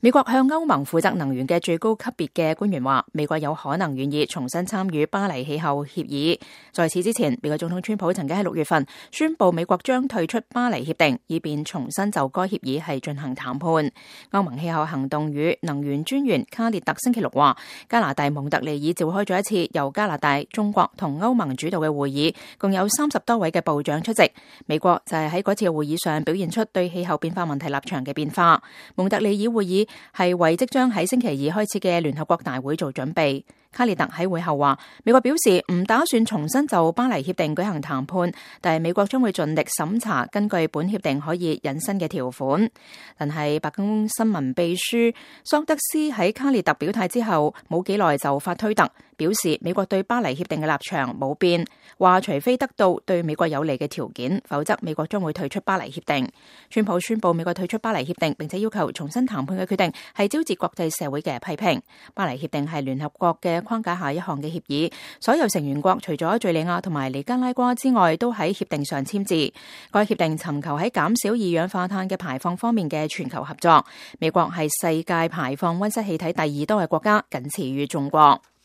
美國向歐盟負責能源嘅最高級別嘅官員話，美國有可能願意重新參與巴黎氣候協議。在此之前，美國總統川普曾經喺6月份宣布美國將退出巴黎協定，以便重新就該協議係進行談判。歐盟氣候行動與能源專員卡列特星期六話，加拿大蒙特利爾召開咗一次由加拿大、中國同歐盟主導嘅會議，共有30多位嘅部長出席。美國就係喺嗰次嘅會議上表現出對氣候變化問題立場嘅變化。蒙特利爾會議係為即將喺星期二開始嘅聯合國大會做準備。卡列特喺會後話，美國表示唔打算重新就巴黎協定舉行談判，但係美國將會盡力審查根據本協定可以引申嘅條款。但係白宮新聞秘書桑德斯喺卡列特表態之後冇幾耐就發推特，表示美國對巴黎協定嘅立場冇變，話除非得到對美國有利嘅條件，否則美國將會退出巴黎協定。川普宣布美國退出巴黎協定，並且要求重新談判嘅決定係招致國際社會嘅批評。巴黎協定係聯合國嘅框架下一項嘅協議，所有成員國除咗敘利亞同埋尼加拉瓜之外，都喺協定上簽字。該協定尋求喺減少二氧化碳嘅排放方面嘅全球合作。美國係世界排放溫室氣體第2多嘅國家，僅次於中國。